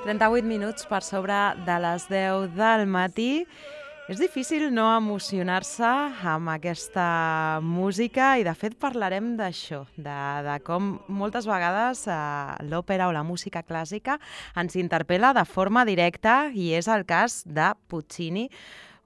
...38 minuts per sobre de les 10 del matí. És difícil no emocionar-se amb aquesta música i, de fet, parlarem d'això, de com moltes vegades l'òpera o la música clàssica ens interpel·la de forma directa, i és el cas de Puccini,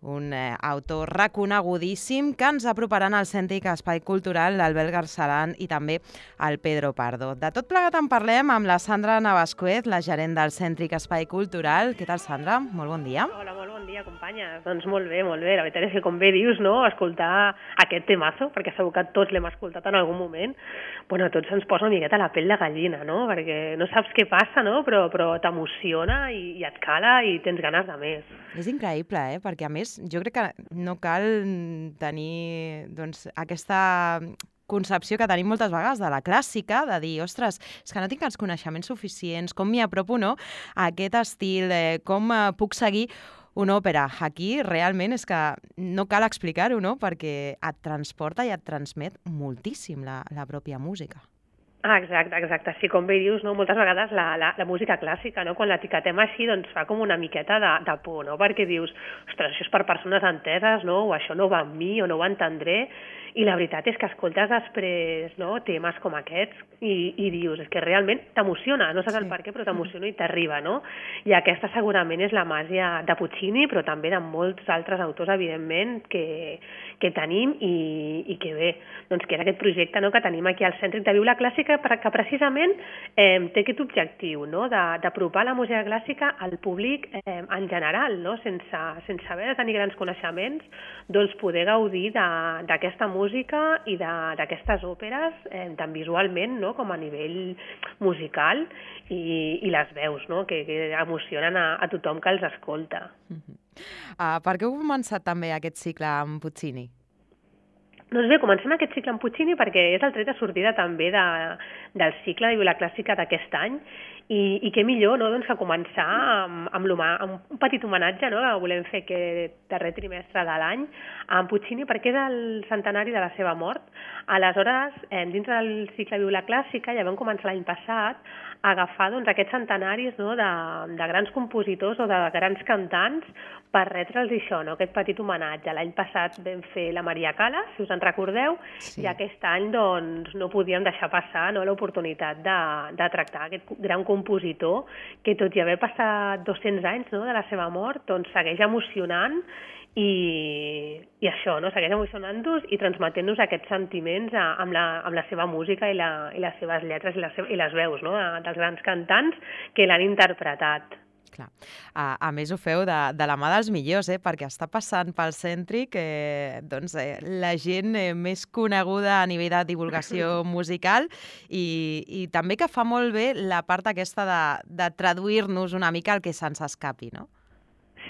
un autor reconegudíssim que ens aproparan al Cèntric Espai Cultural l'Albert Garceran i també el Pedro Pardo. De tot plegat en parlem amb la Sandra Navascuez, la gerent del Cèntric Espai Cultural. Què tal, Sandra? Molt bon dia. Hola, molt bon dia, companyes. Doncs molt bé, molt bé. La veritat és que, com bé dius, no, escoltar aquest temazo, perquè segur que tots l'hem escoltat en algun moment, bueno, a tots ens posa una miqueta la pell de gallina, no? Perquè no saps què passa, no? Però t'emociona i et cala i tens ganes de més. És increïble, perquè a més jo crec que no cal tenir aquesta concepció que tenim moltes vegades de la clàssica, de dir, ostres, és que no tinc els coneixements suficients, com m'hi apropo, no?, a aquest estil, com puc seguir una òpera. Aquí realment és que no cal explicar-ho, no?, perquè et transporta i et transmet moltíssim la pròpia música. Exacte. Sí, com bé dius, no? Moltes vegades la música clàssica, no? Quan l'etiquetem així, doncs fa com una miqueta de por, no? Perquè dius, ostres, això és per persones enteses, no? O això no va amb mi, o no ho entendré. I la veritat és que escoltes després, no?, temes com aquests i dius, és que realment t'emociona, no saps el per què, però t'emociona i t'arriba, no? I aquesta segurament és la màgia de Puccini, però també de molts altres autors, evidentment, que tenim i que bé, doncs que és aquest projecte, no?, que tenim aquí al Cèntric de Viu la Clàssica, que precisament té aquest objectiu, no?, d'apropar la música clàssica al públic en general, no?, sense haver de tenir grans coneixements, doncs poder gaudir d'aquesta música i d'aquestes òperes, tant visualment, no?, com a nivell musical, i les veus, no?, que emocionen a tothom que els escolta. Per què heu començat també aquest cicle amb Puccini? Doncs bé, comencem aquest cicle amb Puccini perquè és el tret de sortida també del cicle de Viu la Clàssica d'aquest any, i què millor, no?, doncs, que començar amb un petit homenatge, no?, que volem fer aquest darrer trimestre de l'any amb Puccini, perquè és el centenari de la seva mort. Aleshores, dins del cicle Viu la Clàssica, ja vam començar l'any passat a agafar doncs, aquests centenaris, no?, de grans compositors o de grans cantants per retre'ls això, no?, aquest petit homenatge. L'any passat vam fer la Maria Callas, si us en recordeu, sí. I aquest any doncs, no podíem deixar passar, no?, l'oportunitat de tractar aquest gran compositor que, tot i haver passat 200 anys, no?, de la seva mort, doncs segueix emocionant i això, no?, segueix emocionant-nos i transmetent-nos aquests sentiments amb la seva música i les seves lletres i les veus, no?, dels grans cantants que l'han interpretat. Clar. A més ho feu de la mà dels millors, perquè està passant pel Cèntric la gent més coneguda a nivell de divulgació musical i també que fa molt bé la part aquesta de traduir-nos una mica el que se'ns escapi, no?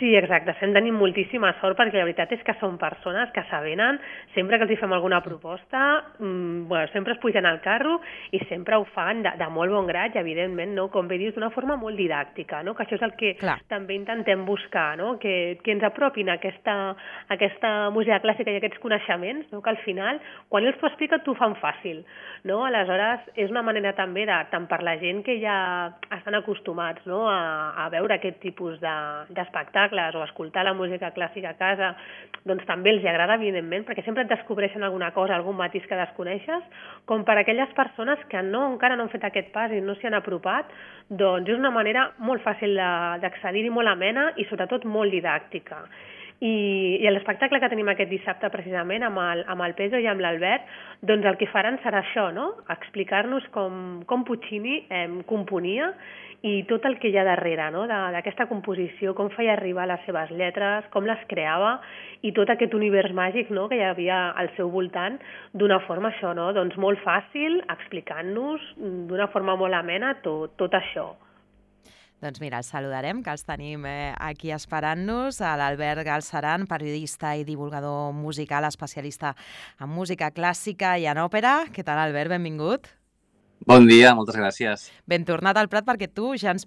Sí, exacte. Estem tenint moltíssima sort perquè la veritat és que són persones que s'avenen, sempre que els hi fem alguna proposta, sempre es pugen al carro i sempre ho fan de molt bon grat i, evidentment, no, com bé dius, d'una forma molt didàctica, no? Que això és el que també intentem buscar, no? Que ens apropin a aquesta música clàssica i aquests coneixements, no? Que al final, quan ells t'ho expliquen, t'ho fan fàcil, no? Aleshores, és una manera també tant per la gent que ja estan acostumats, no?, a veure aquest tipus d'espectacle, espectacles o escoltar la música clàssica a casa, doncs també els agrada, evidentment, perquè sempre et descobreixen alguna cosa, algun matís que desconeixes, com per a aquelles persones que encara no han fet aquest pas i no s'hi han apropat, doncs és una manera molt fàcil d'accedir-hi, molt amena i sobretot molt didàctica. I l'espectacle que tenim aquest dissabte precisament amb el Pedro i amb l'Albert, doncs el que faran serà això, no? Explicar-nos com Puccini componia i tot el que hi ha darrere, no? D'aquesta composició, com feia arribar les seves lletres, com les creava i tot aquest univers màgic, no? Que hi havia al seu voltant d'una forma això, no? Doncs molt fàcil, explicant-nos d'una forma molt amena tot això. Doncs mira, els saludarem, que els tenim aquí esperant-nos, a l'Albert Galceran, periodista i divulgador musical, especialista en música clàssica i en òpera. Què tal, Albert? Benvingut. Bon dia, moltes gràcies. Ben tornat al Prat perquè tu ja ens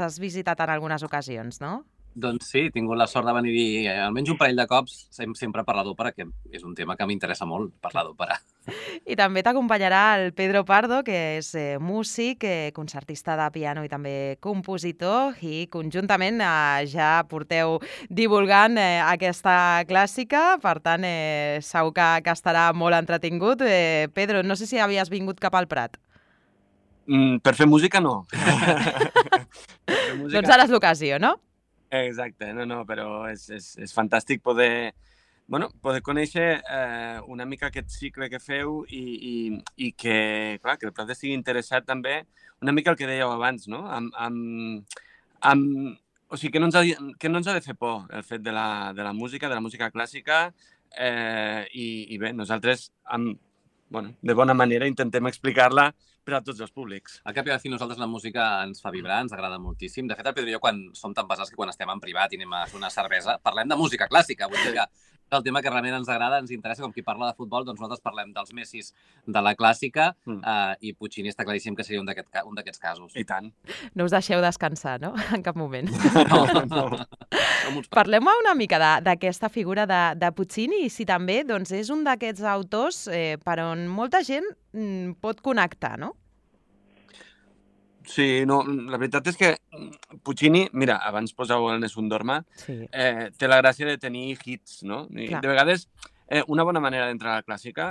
has visitat en algunes ocasions, no? Doncs sí, he tingut la sort de venir almenys un parell de cops, sempre parlar d'òpera, que és un tema que m'interessa molt, parlar d'òpera. I també t'acompanyarà el Pedro Pardo, que és músic, concertista de piano i també compositor, i conjuntament ja porteu divulgant aquesta clàssica, per tant segur que estarà molt entretingut. Pedro, no sé si havies vingut cap al Prat. Per fer música, no. Doncs ara és l'ocasió, no? Exacte, no, però és fantàstic poder conèixer una mica aquest cicle que feu i que, clar, que el Prat estigui interessat també una mica el que dèieu abans, no? O sigui, que no ens ha de fer por el fet de la música clàssica i bé, nosaltres de bona manera intentem explicar-la per a tots els públics. Al cap i a la fi, nosaltres la música ens fa vibrar, ens agrada moltíssim. De fet, el Pedro i jo, quan som tan pesats que quan estem en privat i anem a fer una cervesa, parlem de música clàssica. Vull dir que el tema que realment ens agrada, ens interessa, com qui parla de futbol, doncs nosaltres parlem dels Messis de la clàssica i Puccini està claríssim que seria un d'aquests casos. I tant. No us deixeu descansar, no? En cap moment. No. Parlem una mica d'aquesta figura de Puccini i si també doncs, és un d'aquests autors per on molta gent pot connectar, no? Sí, no, la veritat és que Puccini, mira, abans posàveu el Nessun Dorma, sí. Té la gràcia de tenir hits, no? I de vegades, una bona manera d'entrar a la clàssica,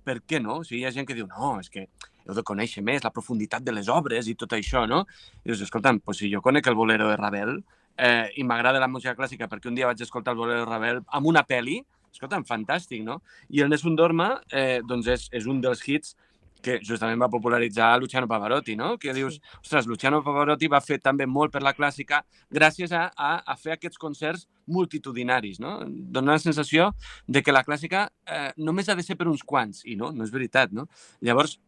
per què no? O sigui, hi ha gent que diu, no, és que heu de conèixer més la profunditat de les obres i tot això, no? I dius, escolta'm, si jo conec el Bolero de Ravel i m'agrada la música clàssica perquè un dia vaig escoltar el Bolero de Ravel amb una pel·li, escolta'm, fantàstic, no? I el Nessun Dorma, doncs, és un dels hits que justament va popularitzar Luciano Pavarotti, no? Que dius, ostres, Luciano Pavarotti va fer també molt per la clàssica gràcies a fer aquests concerts multitudinaris, no? Dona la sensació de que la clàssica només ha de ser per uns quants, i no és veritat, no? Llavors,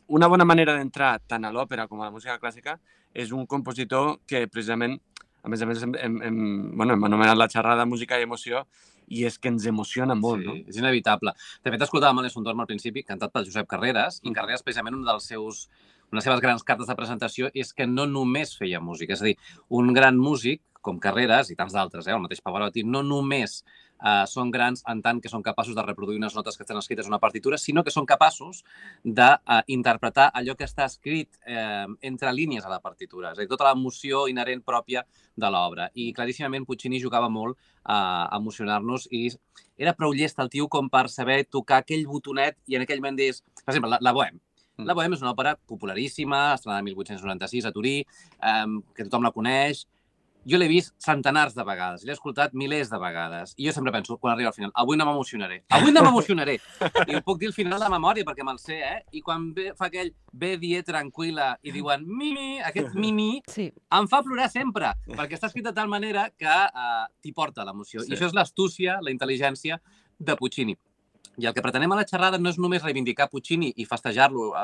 una bona manera d'entrar tant a l'òpera com a la música clàssica és un compositor que precisament, a més hem anomenat la xerrada música i emoció, i és que ens emociona molt, no? Sí, és inevitable. De fet, escoltàvem el Nessun Dorma al principi, cantat per Josep Carreras, i Carreras, precisament, una de les seves grans cartes de presentació és que no només feia música. És a dir, un gran músic, com Carreras, i tants d'altres, el mateix Pavarotti, no només són grans en tant que són capaços de reproduir unes notes que estan escrites en una partitura, sinó que són capaços d'interpretar allò que està escrit entre línies a la partitura, és a dir, tota l'emoció inherent pròpia de l'obra. I claríssimament Puccini jugava molt a emocionar-nos i era prou llest el tio com per saber tocar aquell botonet i en aquell moment deies, per exemple, la Bohème. La Bohème és una òpera popularíssima, estrenada el 1896 a Turí, que tothom la coneix. Jo l'he vist centenars de vegades, l'he escoltat milers de vegades. I jo sempre penso, quan arriba al final, avui no m'emocionaré. Avui no m'emocionaré! I ho puc dir al final de memòria, perquè me'l sé, I quan fa aquell ve die tranquil·la i diuen mimi, aquest mimi, em fa plorar sempre, perquè està escrit de tal manera que t'hi porta l'emoció. I això és l'astúcia, la intel·ligència de Puccini. I el que pretenem a la xerrada no és només reivindicar Puccini i festejar-lo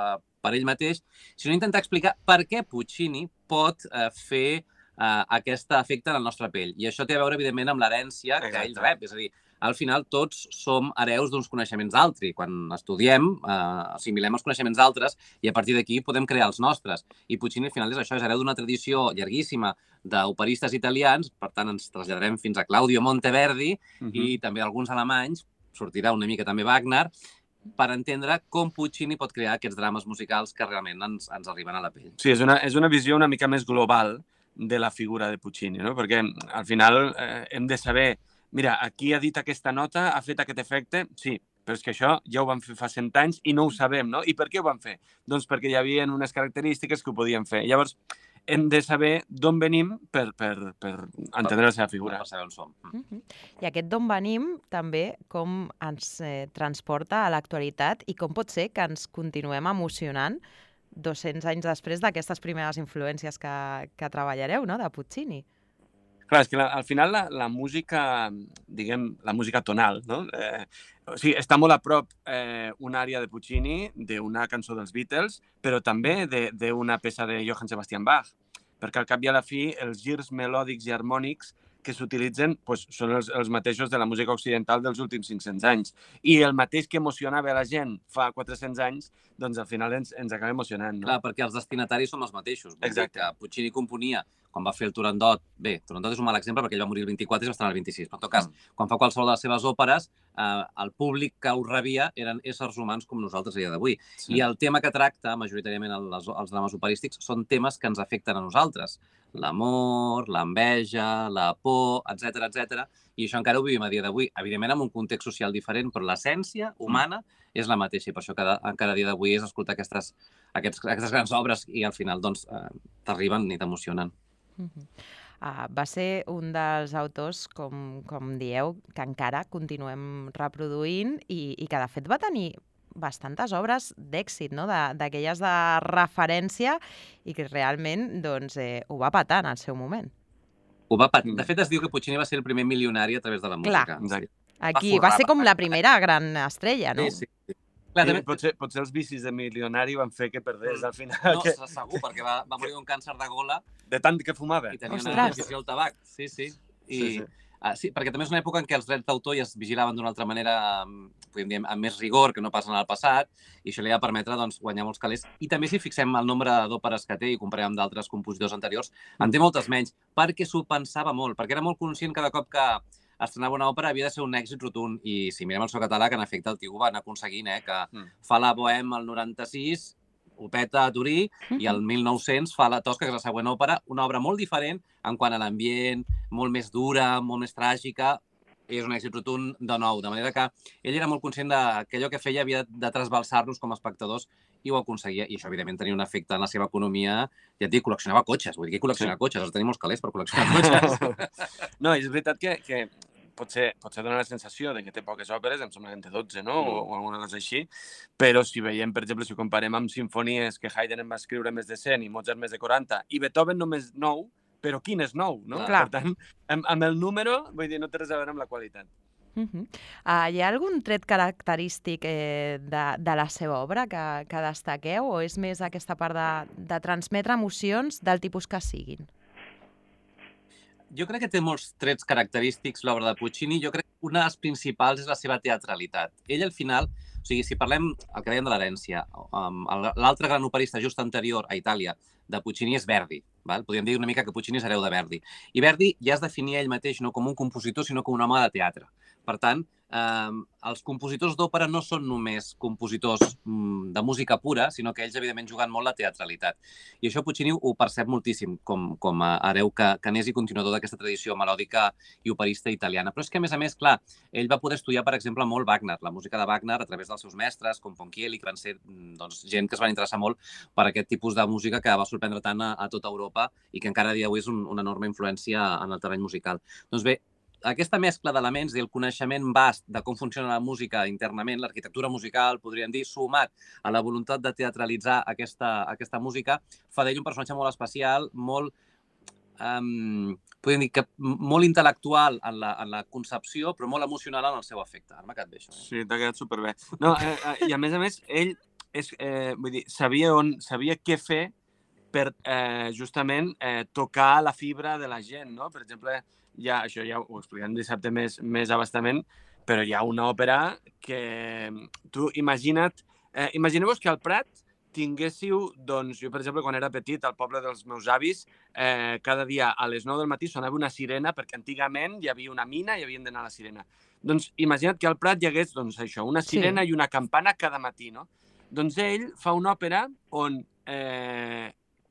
per ell mateix, sinó intentar explicar per què Puccini pot fer aquest efecte en la nostra pell. I això té a veure, evidentment, amb l'herència que ell rep. És a dir, al final tots som hereus d'uns coneixements d'altri. Quan estudiem, assimilem els coneixements d'altres i a partir d'aquí podem crear els nostres. I Puccini, al final, és això, és hereu d'una tradició llarguíssima d'operistes italians, per tant, ens traslladarem fins a Claudio Monteverdi i també alguns alemanys, sortirà una mica també Wagner, per entendre com Puccini pot crear aquests drames musicals que realment ens arriben a la pell. Sí, és una visió una mica més global de la figura de Puccini, no? Perquè al final hem de saber, mira, aquí ha dit aquesta nota, ha fet aquest efecte, sí, però és que això ja ho van fer fa 100 anys i no ho sabem, no? I per què ho van fer? Doncs perquè hi havia unes característiques que ho podien fer. Llavors, hem de saber d'on venim per entendre la seva figura. Per saber on som. I aquest d'on venim també com ens transporta a l'actualitat i com pot ser que ens continuem emocionant 200 anys després d'aquestes primeres influències que treballareu, no?, de Puccini. Clar, és que al final la música, diguem, la música tonal, no? O sigui, està molt a prop una àrea de Puccini, d'una cançó dels Beatles, però també d'una peça de Johann Sebastian Bach, perquè al cap i a la fi els girs melòdics i harmònics que s'utilitzen són els mateixos de la música occidental dels últims 500 anys. I el mateix que emocionava la gent fa 400 anys, doncs al final ens acaba emocionant. No? Clar, perquè els destinataris són els mateixos. Exacte. Que Puccini componia quan va fer el Turandot. Bé, Turandot és un mal exemple perquè ell va morir el 24 i va estar el 26. Però en tot cas, quan fa qualsevol de les seves òperes, el públic que ho rebia eren éssers humans com nosaltres a dia d'avui. Sí. I el tema que tracta, majoritàriament els drames operístics, són temes que ens afecten a nosaltres. L'amor, l'enveja, la por, etc. I això encara ho vivim a dia d'avui. Evidentment, amb un context social diferent, però l'essència humana és la mateixa. I per això encara a dia d'avui és escoltar aquestes grans obres i al final doncs, t'arriben i t'emocionen. Va ser un dels autors, com dieu, que encara continuem reproduint i que de fet va tenir bastantes obres d'èxit, no? D'aquelles de referència i que realment doncs, ho va petar en el seu moment. Ho va petar. De fet, es diu que Puccini va ser el primer milionari a través de la música. Clar, aquí va ser com la primera gran estrella, no? Sí. Clar, potser els vicis de milionari van fer que perdés al final. No, segur, perquè va morir d'un càncer de gola. De tant que fumava. I tenia una addicció al tabac. Sí. Sí, perquè també és una època en què els drets d'autor ja es vigilaven d'una altra manera, podríem dir, amb més rigor que no pas en el passat, i això li va permetre doncs, guanyar molts calés. I també si fixem el nombre d'òperes que té i comparem amb d'altres compositors anteriors, en té moltes menys, perquè s'ho pensava molt, perquè era molt conscient cada cop que estrenava una òpera havia de ser un èxit rotund. I si mirem el seu catàleg, en efecte, el tio ho va anar aconseguint, que fa la Bohème el 96, ho peta a Turí, i el 1900 fa la Tosca, que és la següent òpera, una obra molt diferent en quant a l'ambient, molt més dura, molt més tràgica, és un èxit rotund de nou, de manera que ell era molt conscient que allò que feia havia de trasbalsar-nos com a espectadors i ho aconseguia, i això evidentment tenia un efecte en la seva economia. Ja et dic, col·leccionava cotxes, vull dir que col·leccionava cotxes, has de tenir molts calés per col·leccionar cotxes. No, és veritat que potser dona la sensació de que té poques òperes, em sembla que en té 12, no? O alguna cosa així, però si veiem, per exemple, si ho comparem amb sinfonies que Haydn en va escriure més de 100 i Mozart més de 40 i Beethoven només 9, però quin és 9, no? Clar. Per tant, amb el número, vull dir, no té res a veure amb la qualitat. Hi ha algun tret característic de la seva obra que destaqueu o és més aquesta part de transmetre emocions del tipus que siguin? Jo crec que té molts trets característics l'obra de Puccini. Jo crec que una de les principals és la seva teatralitat. Ell, al final, o sigui, si parlem el que dèiem de l'herència, l'altre gran operista just anterior a Itàlia de Puccini és Verdi. Podríem dir una mica que Puccini és hereu de Verdi. I Verdi ja es definia ell mateix no com un compositor, sinó com un home de teatre. Per tant, els compositors d'òpera no són només compositors de música pura, sinó que ells, evidentment, juguen molt la teatralitat. I això Puccini ho percep moltíssim com a hereu canès i continuador d'aquesta tradició melòdica i operista italiana. Però és que, a més, clar, ell va poder estudiar, per exemple, molt Wagner, la música de Wagner, a través dels seus mestres, com Ponchielli, que van ser gent que es van interessar molt per aquest tipus de música que va sorprendre tant a tota Europa i que encara a dia d'avui és una enorme influència en el terreny musical. Doncs bé, aquesta mescla d'elements i el coneixement vast de com funciona la música internament, l'arquitectura musical, podríem dir, sumat a la voluntat de teatralitzar aquesta música, fa d'ell un personatge molt especial, molt, podríem dir que molt intel·lectual en la concepció, però molt emocional en el seu efecte. Ara m'ha quedat bé, això. Sí, t'ha quedat superbé. No, i a més, ell vull dir, sabia què fer per justament tocar la fibra de la gent, no? Per exemple, això ja ho expliquem dissabte més abastament, però hi ha una òpera que tu imagineu-vos que al Prat tinguéssiu, doncs, jo, per exemple, quan era petit, al poble dels meus avis, cada dia a les 9 del matí sonava una sirena, perquè antigament hi havia una mina i havien d'anar a la sirena. Doncs imagina't que al Prat hi hagués, doncs, això, una sirena i una campana cada matí, no? Doncs ell fa una òpera on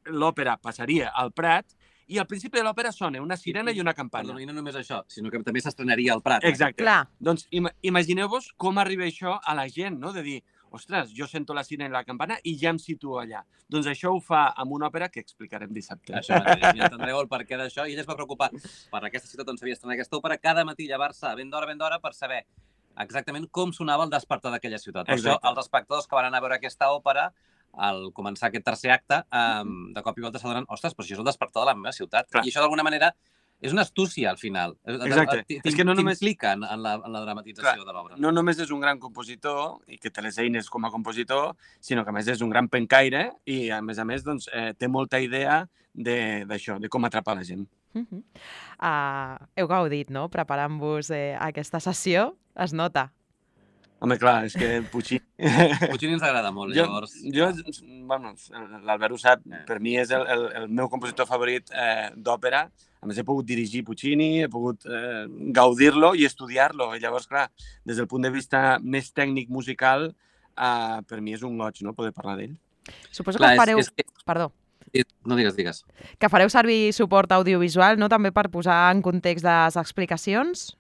l'òpera passaria al Prat i al principi de l'òpera sona una sirena i una campana. Perdona, i no només això, sinó que també s'estrenaria al Prat. Exacte. Clar. Doncs imagineu-vos com arriba això a la gent, no? De dir, ostres, jo sento la sirena i la campana i ja em situo allà. Doncs això ho fa amb una òpera que explicarem dissabte. Això mateix, ja entendreu el perquè d'això. I ella es va preocupar per aquesta ciutat on s'havia estrenat aquesta òpera, cada matí llevar-se ben d'hora per saber exactament com sonava el despertar d'aquella ciutat. Per això, els espectadors que van anar a veure aquesta òpera, al començar aquest tercer acte, de cop i volta s'adonen, ostres, però això és el despertar de la meva ciutat. Clar. I això, d'alguna manera, és una astúcia, al final. Exacte. És que no només t'implica en la dramatització de l'obra. No només és un gran compositor, i que té les eines com a compositor, sinó que, a més, és un gran pencaire i, a més, doncs, té molta idea d'això, de com atrapar la gent. Heu gaudit, no?, preparant-vos aquesta sessió. Es nota. Home, clar, és que Puccini... Puccini ens agrada molt, llavors... Bueno, l'Albert ho sap, per mi és el meu compositor favorit d'òpera. A més, he pogut dirigir Puccini, he pogut gaudir-lo i estudiar-lo. I llavors, clar, des del punt de vista més tècnic musical, per mi és un goig, no?, poder parlar d'ell. Suposo que fareu... Perdó. No, digues. Que fareu servir suport audiovisual, no?, també per posar en context les explicacions?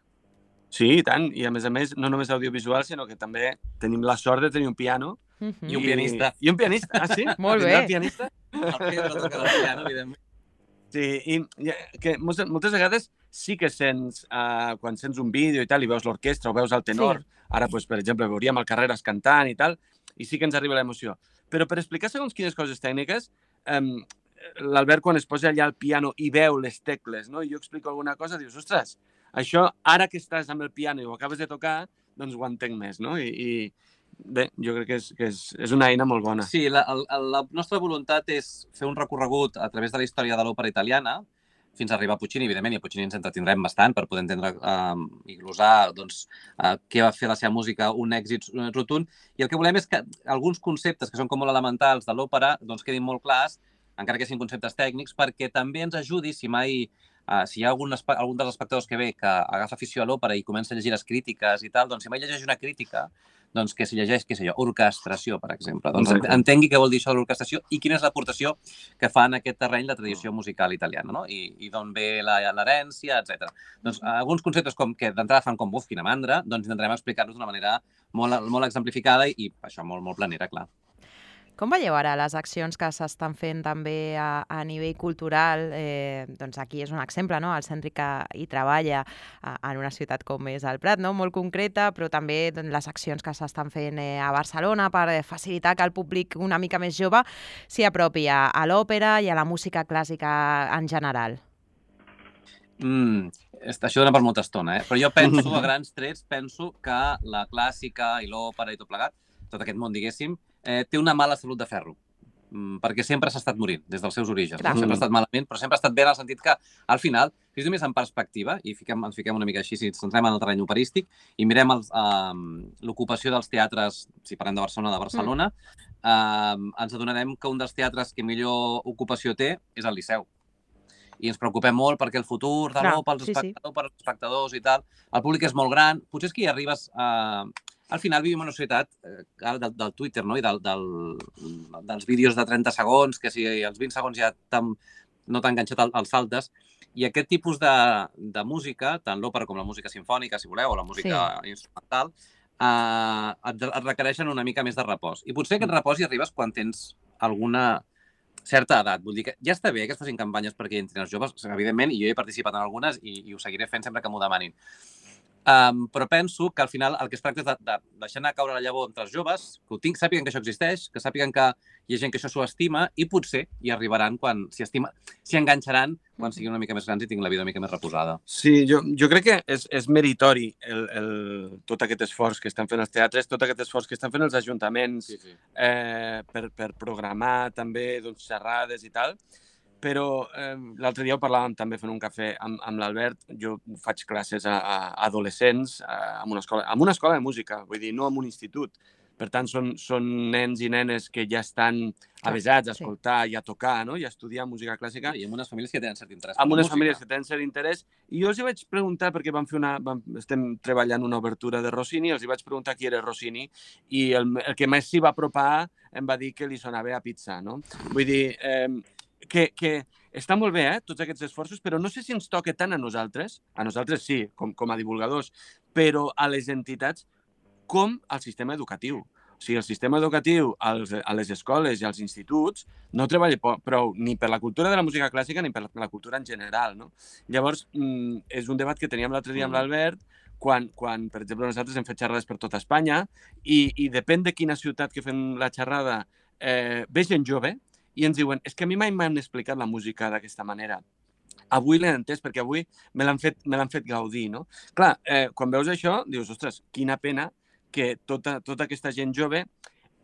Sí, i tant. I, a més, no només audiovisual, sinó que també tenim la sort de tenir un piano. I un pianista. I un pianista, ah, sí? Molt bé. El pianista? El Pedro toca el piano, evidentment. Sí, i que moltes vegades sí que sents, quan sents un vídeo i tal, i veus l'orquestra o veus el tenor, ara, per exemple, veuríem el Carreras cantant i tal, i sí que ens arriba l'emoció. Però per explicar segons quines coses tècniques, l'Albert, quan es posa allà al piano i veu les tecles, no? I jo explico alguna cosa, dius, ostres, això, ara que estàs amb el piano i ho acabes de tocar, doncs ho entenc més, no? I bé, jo crec que és una eina molt bona. Sí, la nostra voluntat és fer un recorregut a través de la història de l'òpera italiana, fins a arribar a Puccini, evidentment, i a Puccini ens entretindrem bastant per poder entendre i glosar què va fer la seva música un èxit rotund. I el que volem és que alguns conceptes que són com molt elementals de l'òpera doncs quedin molt clars, encara que siguin conceptes tècnics, perquè també ens ajudi si mai... si hi ha algun dels espectadors que ve que agafa afició a l'òpera i comença a llegir les crítiques i tal, doncs si mai llegeix una crítica, doncs que si llegeix, què sé jo, orquestració, per exemple. Doncs entengui què vol dir això de l'orquestració i quina és l'aportació que fa en aquest terreny la tradició musical italiana, no? I d'on ve l'herència, etc. Doncs alguns conceptes que d'entrada fan com, quina mandra, doncs intentarem explicar-los d'una manera molt exemplificada i això molt planera, clar. Com veieu ara les accions que s'estan fent també a nivell cultural? Doncs aquí és un exemple, no? El Centre que hi treballa en una ciutat com és el Prat, no? Molt concreta, però també les accions que s'estan fent a Barcelona per facilitar que el públic una mica més jove s'hi apropi a l'òpera i a la música clàssica en general. Això dona per molta estona, però jo penso, a grans trets, que la clàssica i l'òpera i tot plegat, tot aquest món, diguéssim, té una mala salut de ferro, perquè sempre s'ha estat morint des dels seus orígens. Sempre ha estat malament, però sempre ha estat bé en el sentit que, al final, si és només en perspectiva, i ens fiquem una mica així, si ens centrem en el terreny operístic, i mirem l'ocupació dels teatres, si parlem de Barcelona, ens adonarem que un dels teatres que millor ocupació té és el Liceu. I ens preocupem molt perquè el futur de l'òpera, els espectadors i tal, el públic és molt gran, potser és que hi arribes a... Al final vivim en una societat del Twitter, no? I dels vídeos de 30 segons, que si els 20 segons ja no t'ha enganxat els saltes. I aquest tipus de música, tant l'òpera com la música sinfònica, si voleu, o la música instrumental, et requereixen una mica més de repòs. I potser aquest repòs hi arribes quan tens alguna certa edat. Vull dir que ja està bé que es facin campanyes perquè hi entrin els joves, evidentment, i jo he participat en algunes i ho seguiré fent sempre que m'ho demanin. Però penso que al final el que es tracta és de deixar anar caure la llavor entre els joves, que sàpiguen que això existeix, que sàpiguen que hi ha gent que això s'ho estima i potser hi arribaran quan s'hi enganxaran quan siguin una mica més grans i tinguin la vida una mica més reposada. Sí, jo crec que és meritori tot aquest esforç que estan fent els teatres, tot aquest esforç que estan fent els ajuntaments per programar també xerrades i tal. Però l'altre dia ho parlàvem també fent un cafè amb l'Albert. Jo faig classes a adolescents en una escola de música, vull dir, no en un institut. Per tant, són nens i nenes que ja estan avesats a escoltar i a tocar, no? I a estudiar música clàssica. I amb unes famílies que tenen cert interès. Amb unes famílies que tenen cert interès. I jo els vaig preguntar, perquè estem treballant una obertura de Rossini, els vaig preguntar qui era Rossini i el que més s'hi va apropar em va dir que li sonava a pizza, no? Vull dir... que està molt bé, tots aquests esforços, però no sé si ens toca tant a nosaltres sí, com a divulgadors, però a les entitats com al sistema educatiu. O sigui, el sistema educatiu a les escoles i als instituts no treballa prou ni per la cultura de la música clàssica ni per la cultura en general, no? Llavors, és un debat que teníem l'altre dia amb l'Albert, quan, per exemple, nosaltres hem fet xerrades per tota Espanya i depèn de quina ciutat que fem la xerrada ve gent jove i ens diuen, és que a mi mai m'han explicat la música d'aquesta manera. Avui l'he entès perquè avui me l'han fet gaudir, no? Clar, quan veus això, dius, ostres, quina pena que tota aquesta gent jove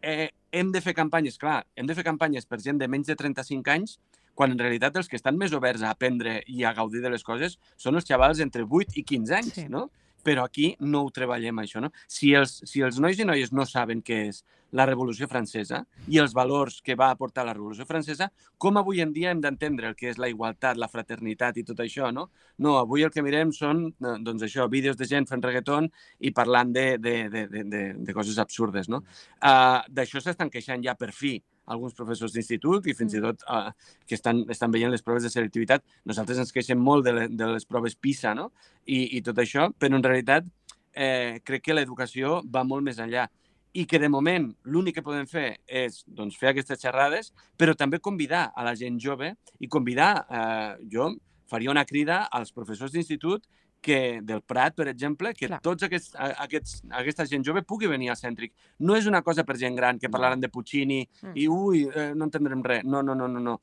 hem de fer campanyes, clar, hem de fer campanyes per gent de menys de 35 anys quan en realitat els que estan més oberts a aprendre i a gaudir de les coses són els xavals entre 8 i 15 anys, no? Però aquí no ho treballem, això, no? Si els nois i noies no saben què és la Revolució Francesa i els valors que va aportar la Revolució Francesa, com avui en dia hem d'entendre el que és la igualtat, la fraternitat i tot això, no? No, avui el que mirem són, doncs això, vídeos de gent fent reggaeton i parlant de coses absurdes, no? D'això s'estan queixant ja per fi alguns professors d'institut i fins i tot que estan veient les proves de selectivitat. Nosaltres ens queixem molt de les proves PISA, no? I tot això, però en realitat crec que l'educació va molt més enllà i que de moment l'únic que podem fer és fer aquestes xerrades, però també convidar a la gent jove i convidar, jo faria una crida als professors d'institut del Prat, per exemple, que tots aquesta gent jove pugui venir al Cèntric. No és una cosa per gent gran que parlaran de Puccini i, no entendrem res. No.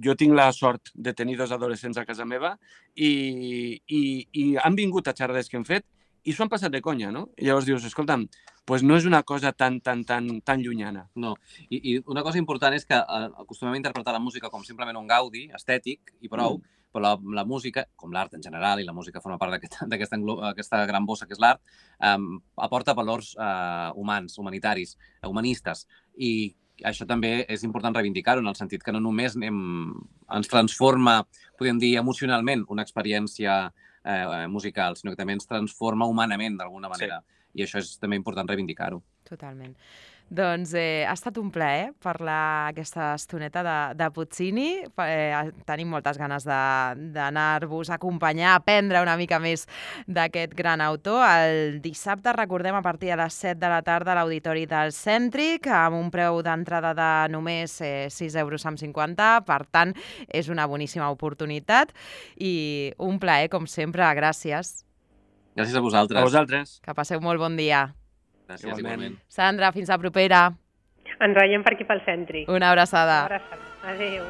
Jo tinc la sort de tenir 2 adolescents a casa meva i han vingut a xerrades que hem fet i s'ho han passat de conya, no? I llavors dius, escolta'm, doncs no és una cosa tan llunyana. No, i una cosa important és que acostumem a interpretar la música com simplement un gaudi estètic i prou, però la música, com l'art en general, i la música forma part d'aquesta gran bossa que és l'art, aporta valors humans, humanitaris, humanistes, i això també és important reivindicar-ho, en el sentit que no només ens transforma, podríem dir, emocionalment una experiència musical, sinó que també ens transforma humanament, d'alguna manera. I això és també important reivindicar-ho. Totalment. Doncs ha estat un plaer parlar aquesta estoneta de Puccini. Tenim moltes ganes d'anar-vos a acompanyar, a aprendre una mica més d'aquest gran autor. El dissabte, recordem, a partir de les 7 de la tarda a l'Auditori del Cèntric, amb un preu d'entrada de només 6,50 €. Per tant, és una boníssima oportunitat i un plaer, com sempre. Gràcies. Gràcies a vosaltres. A vosaltres. Que passeu molt bon dia. Gràcies, igualment. Sandra, fins la propera. Ens veiem per aquí pel Cèntric. Una abraçada. Una abraçada. Adéu.